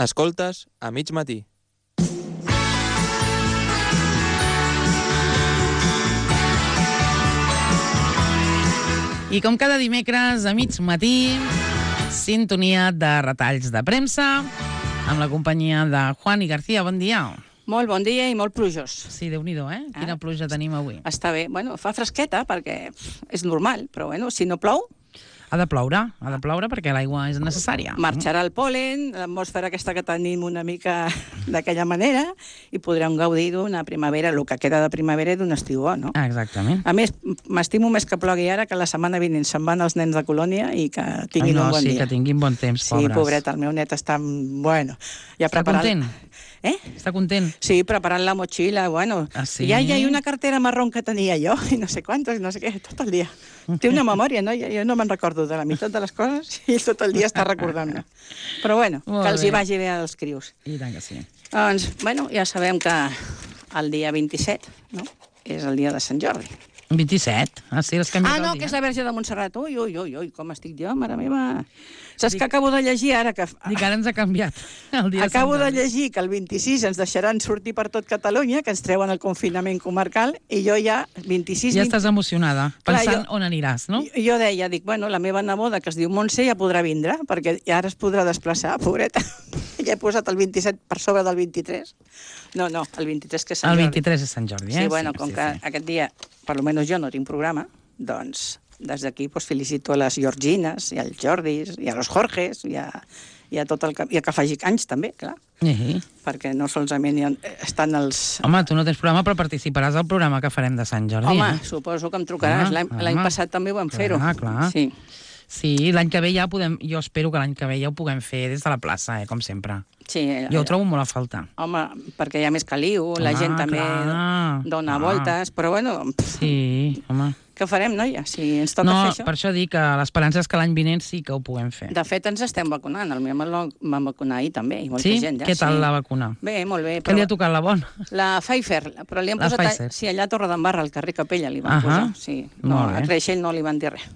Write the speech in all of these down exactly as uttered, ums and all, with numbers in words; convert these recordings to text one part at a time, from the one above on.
Escoltes a mig matí. I com cada dimecres a mig matí, sintonia de retalls de premsa, amb la companyia de Juan i García. Bon dia. Molt bon dia i molt plujós. Sí, Déu-n'hi-do, eh? Quina pluja tenim avui. Està bé. Bueno, fa fresqueta perquè és normal, però bueno, si no plou... Ha de ploure, ha de ploure perquè l'aigua és necessària. Marxarà el pol·len, l'atmosfera aquesta que tenim una mica d'aquella manera, i podrem gaudir d'una primavera, el que queda de primavera i d'un estiu bo, no? Exactament. A més, m'estimo més que plogui ara, que la setmana vinent se'n van els nens de colònia i que tinguin Ai, no, un bon sí, dia. que tinguin bon temps, sí, pobres. Sí, pobret, el meu net està... Bueno, ja està preparat... content? Eh? Està content? Sí, preparant la motxilla, bueno. Ah, sí? Ja hi ha una cartera marrón que tenia jo, i no sé quantos, no sé què, tot el dia. Té una memòria, no? Jo, jo no me'n recordo de la meitat de les coses i ell tot el dia està recordant-me. Però bueno, Molt que els bé. hi vagi bé als crios. I tant que sí. Doncs, bueno, ja sabem que el dia vint-i-set, no?, és el dia de Sant Jordi. vint-i-set? Ah, sí, l'has canviat Ah, no, el dia. que és la Verge de Montserrat. Ui, ui, ui, ui, com estic jo, mare meva. Saps Dic... que acabo de llegir ara que... Dic, ara ens ha canviat el dia Acabo de de Sant Jordi. llegir que el vint-i-sis ens deixaran sortir per tot Catalunya, que ens treuen el confinament comarcal, i jo ja, vint-i-sis... Ja vint... estàs emocionada, Clar, pensant jo- on aniràs, no? Jo, jo deia, dic, bueno, la meva neboda, que es diu Montse, ja podrà vindre, perquè ja ara es podrà desplaçar, pobreta. Ja he posat el vint-i-set per sobre del vint-i-tres. No, no, el vint-i-tres que és Sant El Jordi. vint-i-tres és Sant Jordi, eh? Sí, bueno, com sí, que sí. aquest dia, per almenys jo no tinc programa, doncs des d'aquí pues, felicito a les Georgines, i als Jordis, i a los Jorges, i a, i a tot el que... I a que faci anys, també, clar. Eh. Perquè no solament hi ha, estan els... Home, tu no tens programa, però participaràs al programa que farem de Sant Jordi. Home, eh? suposo que em trucaràs. Home, L'any home. l'any passat també ho vam Clar, fer-ho. clar. Sí. Sí, l'any que ve ja podem... Jo espero que l'any que ve ja ho puguem fer des de la plaça, eh, com sempre. Sí, Jo ho trobo molt a faltar. Home, perquè hi ha més caliu, la Home, gent també clar, dona clar. voltes, però bueno, pff, Sí, home. què farem, noia, si ens toca No, fer això? per això dic que l'esperança és que l'any vinent sí que ho puguem fer. De fet, ens estem vacunant. El meu home el vam vacunar ahir també, i molta Sí? gent ja. Què tal sí. la vacuna? Bé, molt bé. Què li ha tocat la bona? La Pfizer, però li han La posat... a- Pfizer. Sí, allà a Torredembarra, al carrer Capella, li van Ahà. posar. Sí. No, Molt bé. a Creixell no li van dir res.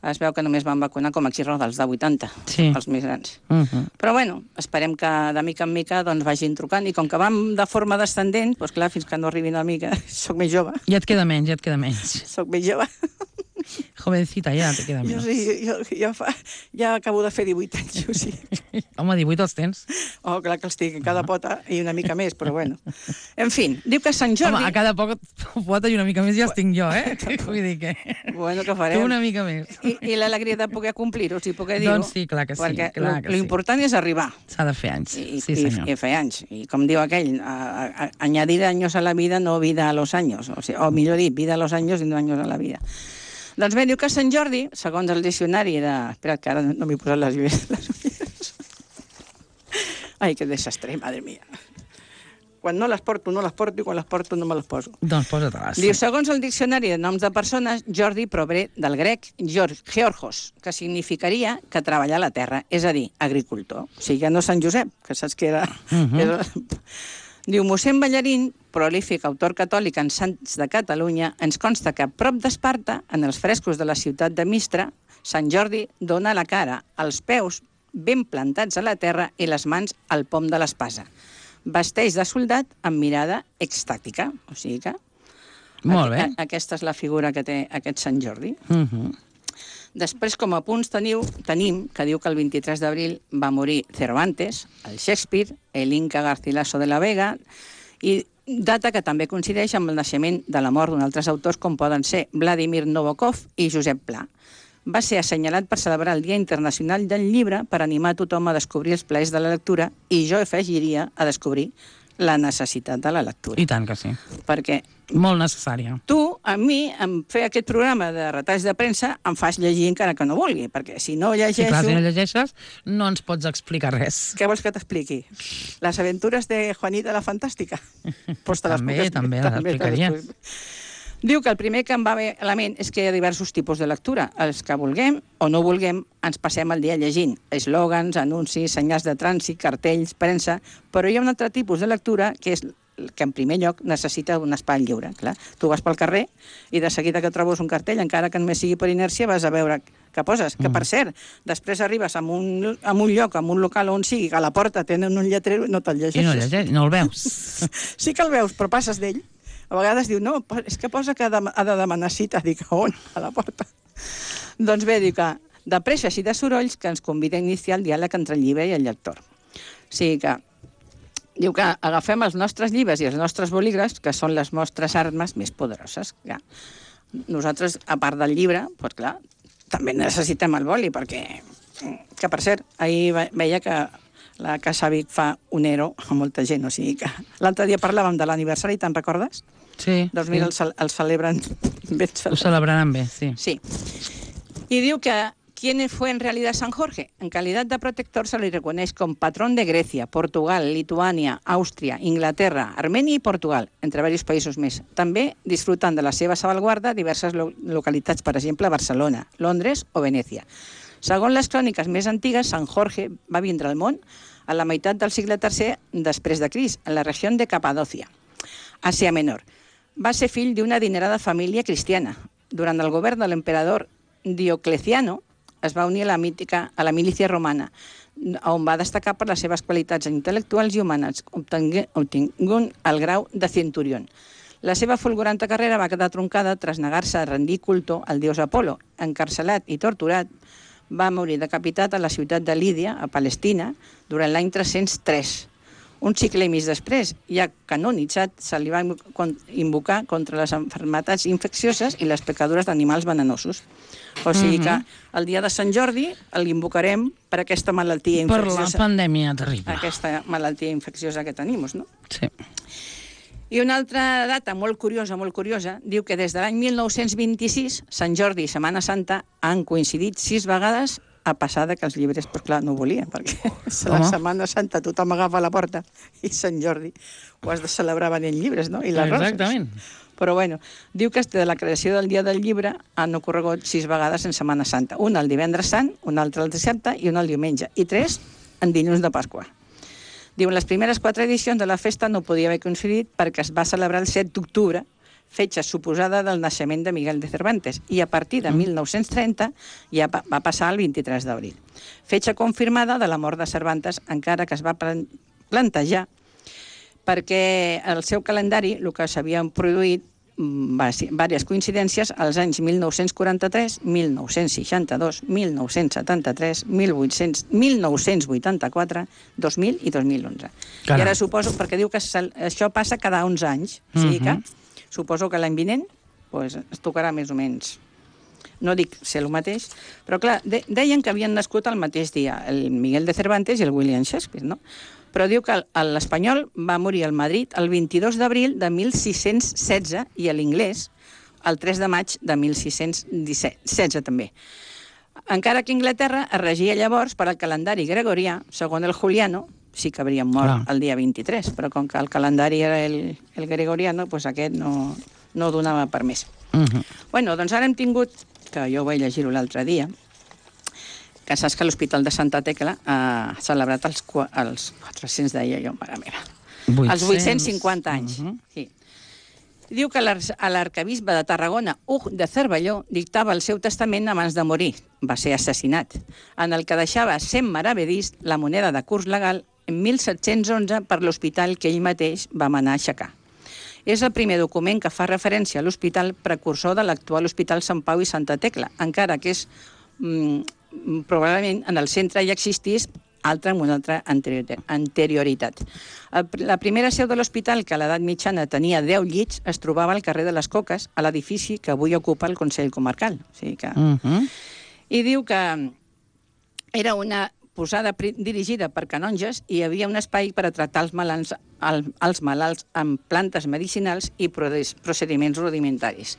Es veu que només van vacunar com a xirroda, els de vuitanta, Sí. els més grans. Uh -huh. Però bueno, esperem que de mica en mica doncs, vagin trucant, i com que vam de forma descendent, doncs clar, fins que no arribin a mi, que soc més jove, Ja et queda menys, ja et queda menys. soc més jove. Jovencita, ja te queda Jo, menys. sí, jo, jo fa, ja acabo de fer divuit anys, o sigui. Home, divuit els tens. Oh, clar que els tinc en cada pota i una mica més, però bueno. En fi, diu que Sant Jordi... Home, a cada poc pota i una mica més ja els tinc jo, eh? Vull dir que... Bueno, que Tu farem. una mica més. I, i l'alegria de poder complir-ho, si poder dir-ho. Doncs sí, clar que sí, Perquè clar lo- que lo sí. important és arribar. S'ha de fer anys. I, Sí, i, senyor. i fer anys. I com diu aquell, a, a, a, añadir años a la vida, no vida a los años. O, sigui, o millor dit, vida a los años i no años a la vida. Doncs bé, diu que Sant Jordi, segons el diccionari de... Espera, que ara no m'he posat les ulleres. Les ulleres. Ai, que desastre, madre mía. Quan no les porto, no les porto, i quan les porto no me les poso. Doncs posa-te-les. Diu, segons el diccionari de noms de persones, Jordi prové del grec Geor- Georgos, que significaria que treballar la terra, és a dir, agricultor. O sigui, ja no Sant Josep, que saps que era... Mhm. que era... Diu, mossèn Ballarín, prolífic autor catòlic en Sants de Catalunya, ens consta que a prop d'Esparta, en els frescos de la ciutat de Mistra, Sant Jordi dona la cara, els peus ben plantats a la terra i les mans al pom de l'espasa. Vesteix de soldat amb mirada extàtica. O sigui que... Molt bé. Aqu- Aquesta és la figura que té aquest Sant Jordi. Uh -huh. Després, com a punts, teniu, tenim que diu que el vint-i-tres d'abril va morir Cervantes, el Shakespeare, el Inca Garcilaso de la Vega, i data que també coincideix amb el naixement de la mort d'uns altres autors com poden ser Vladimir Nabokov i Josep Pla. Va ser assenyalat per celebrar el Dia Internacional del Llibre per animar a tothom a descobrir els plaers de la lectura, i jo afegiria a descobrir la necessitat de la lectura. I tant que sí. Perquè Molt necessària. tu, a mi, em fer aquest programa de retalls de premsa, em fas llegir encara que no vulgui, perquè si no Sí, llegeixo... clar, si no llegeixes, no ens pots explicar res. Què vols que t'expliqui? Les aventures de Juanita la Fantàstica? Pues te les També, puc expli- també les te les explicaria. puc- Diu que el primer que em va bé a la ment és que hi ha diversos tipus de lectura. Els que vulguem o no vulguem ens passem el dia llegint eslògans, anuncis, senyals de trànsit, cartells, premsa, però hi ha un altre tipus de lectura que és que en primer lloc necessita un espai lliure. Clar, tu vas pel carrer i de seguida que trobes un cartell, encara que només sigui per inèrcia, vas a veure què poses. Que, per cert, després arribes a un, a un lloc, a un local on sigui, que a la porta tenen un lletrero i no te'l llegeixes. I no, llegeix, no el veus. Sí que el veus, però passes d'ell. A vegades diu, no, és que posa que ha de, ha de demanar cita. Dic, on? A la porta. Doncs bé, diu que de presses i de sorolls que ens convida a iniciar el diàleg entre el llibre i el lector. O sigui que, diu que agafem els nostres llibres i els nostres bolígrafs, que són les nostres armes més poderoses. Ja. Nosaltres, a part del llibre, doncs clar, també necessitem el boli, perquè, que per cert, ahir veia que la Casa Vic fa un ero a molta gent, o sigui que l'altre dia parlàvem de l'aniversari, te'n recordes? Sí. Doncs mira, sí. el, el celebren ben celebrat. Ho celebraran bé, sí. Sí. Y diu que ¿quién fue en realidad San Jorge? En calidad de protector se le reconoce como patrón de Grecia, Portugal, Lituania, Àustria, Inglaterra, Armènia i Portugal, entre diversos països més. També disfrutant de la seva salvaguarda diverses lo localitats, per exemple, Barcelona, Londres o Venècia. Segons les cròniques més antigues, Sant Jorge va vindre al món a la meitat del segle tercer després de Crist, en la regió de Capadòcia, Àsia Menor. Va ser fill d'una adinerada família cristiana. Durant el govern de l'emperador Diocleciano es va unir a la, mítica, a la milícia romana, on va destacar per les seves qualitats intel·lectuals i humanes, obtinguent el grau de centurión. La seva fulguranta carrera va quedar troncada tras negar-se a rendir culto al dios Apolo. Encarcelat i torturat, va morir decapitat a la ciutat de Lídia, a Palestina, durant l'any tres-cents tres. Un segle i mig després, ja canonitzat, se li va invocar contra les malalties infeccioses i les pecadures d'animals venenosos. O sigui que el dia de Sant Jordi l'invocarem per aquesta malaltia infecciosa. Per la pandèmia terrible. Aquesta malaltia infecciosa que tenim, no? Sí. I una altra data molt curiosa, molt curiosa, diu que des de l'any mil nou-cents vint-i-sis, Sant Jordi i Setmana Santa han coincidit sis vegades, a passar que els llibres, però clar, no ho volien, perquè la Setmana Santa tothom agafa la porta i Sant Jordi ho has de celebrar venent llibres, no? I les roses. Exactament. Però bueno, diu que de la creació del Dia del Llibre han ocorregut sis vegades en Setmana Santa. Una el divendres sant, una altra el dissabte i una el diumenge. I tres en dilluns de Pasqua. Diu, les primeres quatre edicions de la festa no podia haver coincidit perquè es va celebrar el set d'octubre, fetge suposada del naixement de Miguel de Cervantes, i a partir de mil nou-cents trenta ja va passar el vint-i-tres d'abril. Fetge confirmada de la mort de Cervantes, encara que es va plantejar perquè el seu calendari, el que s'havien produït diverses coincidències als anys mil nou-cents quaranta-tres, mil nou-cents seixanta-dos, mil nou-cents setanta-tres, mil nou-cents vuitanta-quatre, dos mil i dos mil onze. I ara suposo, perquè diu que això passa cada onze anys, o sigui que suposo que l'any vinent pues, es tocarà més o menys. No dic ser el mateix, però clar, de, deien que havien nascut el mateix dia, el Miguel de Cervantes i el William Shakespeare, no? Però diu que l'espanyol va morir al Madrid el vint-i-dos d'abril de mil sis-cents setze i l'inglès el tres de maig de mil sis-cents setze també. Encara que Inglaterra es regia llavors per al calendari gregorià, segons el Juliano, sí que haurien mort ah. el dia vint-i-tres, però com que el calendari era el, el gregoriano, doncs aquest no, no donava per més. Uh -huh. Bueno, doncs ara hem tingut, que jo vaig llegir-ho l'altre dia, que saps que l'Hospital de Santa Tecla ha celebrat els, els quatre-cents, deia jo, mare meva, vuit-cents els vuit-cents cinquanta anys. Uh -huh. Sí. Diu que l'arquebisbe de Tarragona, Hug de Cervelló, dictava el seu testament abans de morir. Va ser assassinat, en el que deixava cent maravedís la moneda de curs legal en mil set-cents onze per l'hospital que ell mateix va manar a aixecar. És el primer document que fa referència a l'hospital precursor de l'actual Hospital Sant Pau i Santa Tecla, encara que és mm, probablement en el centre ja existís altra amb una altra anterioritat. La primera seu de l'hospital, que a l'edat mitjana tenia deu llits, es trobava al carrer de les Coques, a l'edifici que avui ocupa el Consell Comarcal. O sigui que... uh -huh. I diu que era una posada dirigida per canonges i hi havia un espai per a tractar els malalts, els malalts amb plantes medicinals i procediments rudimentaris.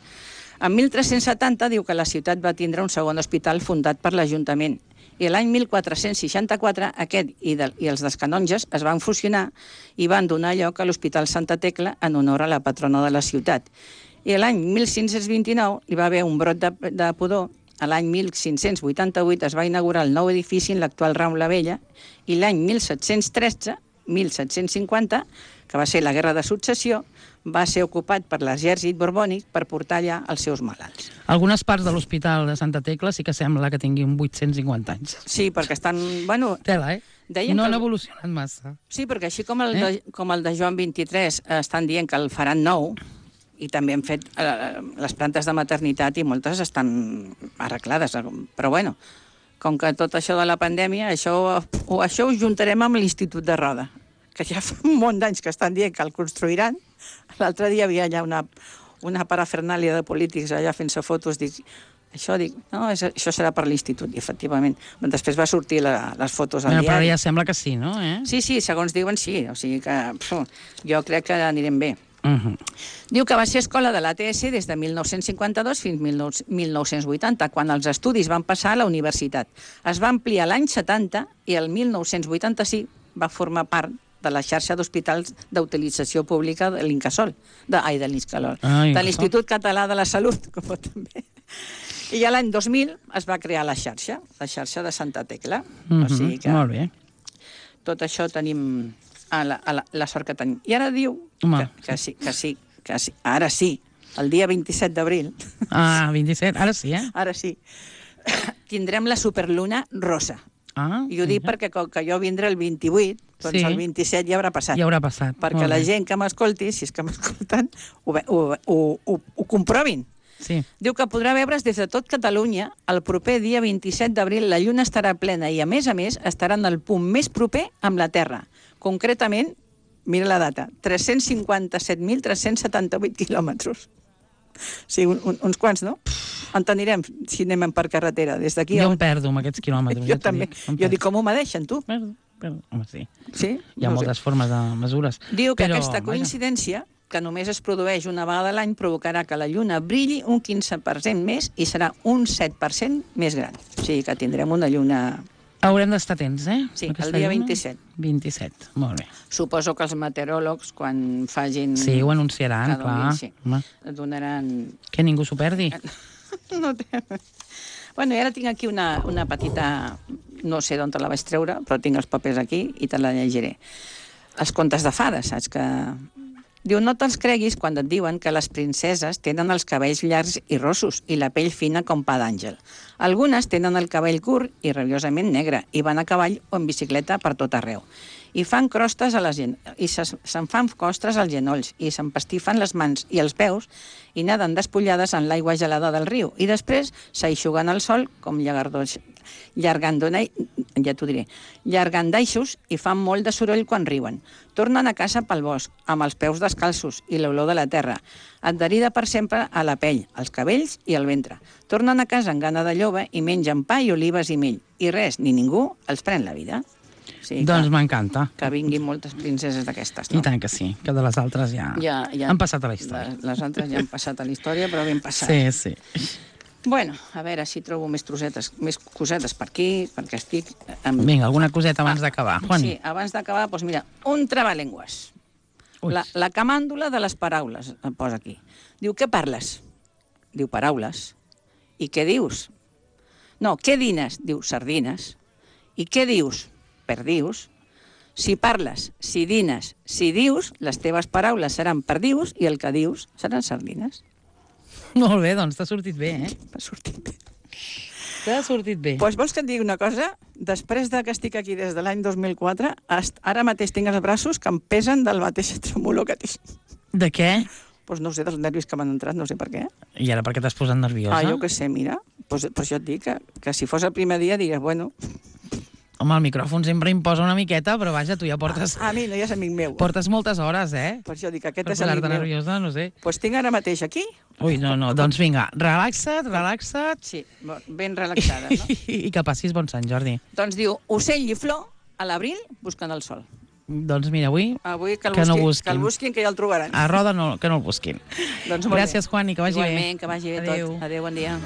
En mil tres-cents setanta diu que la ciutat va tindre un segon hospital fundat per l'Ajuntament i l'any mil quatre-cents seixanta-quatre aquest i, de, i els dels canonges es van fusionar i van donar lloc a l'Hospital Santa Tecla en honor a la patrona de la ciutat. I l'any mil cinc-cents vint-i-nou hi va haver un brot de, de pudor. A l'any mil cinc-cents vuitanta-vuit es va inaugurar el nou edifici en l'actual Rambla Vella i l'any mil set-cents tretze mil set-cents cinquanta, que va ser la Guerra de Successió, va ser ocupat per l'exèrcit borbònic per portar allà els seus malalts. Algunes parts de l'Hospital de Santa Tecla sí que sembla que tinguin vuit-cents cinquanta anys. Sí, perquè estan... Bueno, Tela, eh? deien no que... han evolucionat massa. Sí, perquè així com el, Eh? de, com el de Joan vint-i-tres eh, estan dient que el faran nou, i també han fet eh, les plantes de maternitat i moltes estan arreglades, però bueno, com que tot això de la pandèmia, això, o això ho juntarem amb l'Institut de Roda, que ja fa un munt d'anys que estan dient que el construiran. L'altre dia hi havia allà una, una parafernàlia de polítics allà fent-se fotos, dic, això, dic, no, és, això serà per l'Institut, i efectivament. Després va sortir la, les fotos al Bueno, però diari. ja sembla que sí, no? Eh? Sí, sí, segons diuen sí, o sigui que pf, jo crec que anirem bé. Uh -huh. Diu que va ser escola de l'A T S des de mil nou-cents cinquanta-dos fins a mil nou-cents vuitanta, quan els estudis van passar a la universitat. Es va ampliar l'any setanta i el mil nou-cents vuitanta-cinc va formar part de la xarxa d'hospitals d'utilització pública de l'Incasol, de, ai, de l'Incasol, Ah, de Incasol. l'Institut Català de la Salut, com també. I ja l'any dos mil es va crear la xarxa, la xarxa de Santa Tecla. Uh -huh. O sigui que Molt bé. tot això tenim a la, a la, la sort que tenim. I ara diu Home, que, que sí, que sí, que sí, ara sí, el dia vint-i-set d'abril, Ah, vint-i-set, ara sí, eh? ara sí, tindrem la superluna rosa. Ah, I ho dic mira. perquè com que jo vindré el vint-i-vuit, doncs Sí. el vint-i-set ja haurà passat. Ja haurà passat. Perquè Molt la bé. gent que m'escolti, si és que m'escolten, ho, ve- ho, ho, ho, ho comprovin. Sí. Diu que podrà veure's des de tot Catalunya el proper dia vint-i-set d'abril. La lluna estarà plena i, a més a més, estarà en el punt més proper amb la Terra. Concretament, mira la data, tres-cents cinquanta-set mil tres-cents setanta-vuit quilòmetres. Sí, un, un, uns quants, no? En tenirem si anem per carretera. Des d'aquí... Jo a- em perdo amb aquests quilòmetres. Jo ja t'ho també. dic, em Jo perdo. dic, com ho medeixen, tu? Perdo, perdo. Home, sí. Sí? Hi ha No ho sé. moltes formes de mesures. Diu que Però, aquesta vaja. coincidència, que només es produeix una vegada a l'any, provocarà que la lluna brilli un quinze per cent més i serà un set per cent més gran. O sigui que tindrem una lluna... Haurem d'estar atents, eh? Sí, Aquesta el dia lluna. vint-i-set. vint-i-set, molt bé. Suposo que els meteoròlegs, quan facin... Sí, ho anunciaran, cada clar. un dia, sí. Home, Donaran... que ningú s'ho perdi. No té... Bueno, i ara tinc aquí una, una petita... No sé d'on te la vaig treure, però tinc els papers aquí i te la llegiré. Els contes de fades, saps que... Diu, no te'ls creguis quan et diuen que les princeses tenen els cabells llargs i rossos i la pell fina com pa d'àngel. Algunes tenen el cabell curt i rabiosament negre i van a cavall o en bicicleta per tot arreu. I fan crostes a les gen... i se- se'n fan costres als genolls i s'empastifen les mans i els peus i naden despullades en l'aigua gelada del riu i després s'aixuguen al sol com llagardos, llargandonai, ja t'ho diré, llargandaixos i fan molt de soroll quan riuen. Tornen a casa pel bosc, amb els peus descalços i l'olor de la terra, adherida per sempre a la pell, als cabells i al ventre. Tornen a casa amb gana de lloba i mengen pa i olives i mell. I res, ni ningú els pren la vida. O sigui Doncs que, m'encanta. que vinguin moltes princeses d'aquestes, I no? tant que sí, que de les altres ja, Ja, ja, han passat a la història. Les, les altres ja han passat a la història, però ben passat. Sí, sí. Bueno, a veure si trobo més trosetes, més cosetes per aquí, perquè estic... Amb... Vinga, alguna coseta abans d'acabar. Juan. Sí, abans d'acabar, doncs mira, un trabalengües. Ui. La, la camàndula de les paraules, em posa aquí. Diu, què parles? Diu, paraules. I què dius? No, què dines? Diu, sardines. I què dius? Perdius. Si parles, si dines, si dius, les teves paraules seran perdius i el que dius seran sardines. Molt bé, doncs t'ha sortit bé, eh? M'ha sortit bé. T'ha sortit bé. Doncs vols que et digui una cosa? Després de que estic aquí des de l'any dos mil quatre, hasta ara mateix tinc els braços que em pesen del mateix tremolor que tinc. De què? Doncs no ho sé, dels nervis que m'han entrat, no sé per què. I ara per què t'has posat nerviosa? Ah, jo què sé, mira. Doncs, per això et dic que, que si fos el primer dia digues, bueno... Home, el micròfon sempre imposa una miqueta, però vaja, tu ja portes, A, a mi no, ja és amic meu. portes moltes hores, eh? Per això dic que aquest Per és amic posar-te meu. nerviosa, no sé. Doncs tinc ara mateix aquí, Ui, no, no, doncs vinga, relaxa't, relaxa't sí, bo- ben relaxada, no? i que passis bon Sant Jordi. Doncs diu, ocell i flor, a l'abril busquen el sol. Doncs mira, avui Avui que el, Que no busquin, busquin. que el busquin, que ja el trobaran. a Roda no, que no el busquin. Doncs molt Gràcies, bé. Juan, i que vagi bé. Igualment, que vagi bé Adéu. tot. Adéu, bon dia.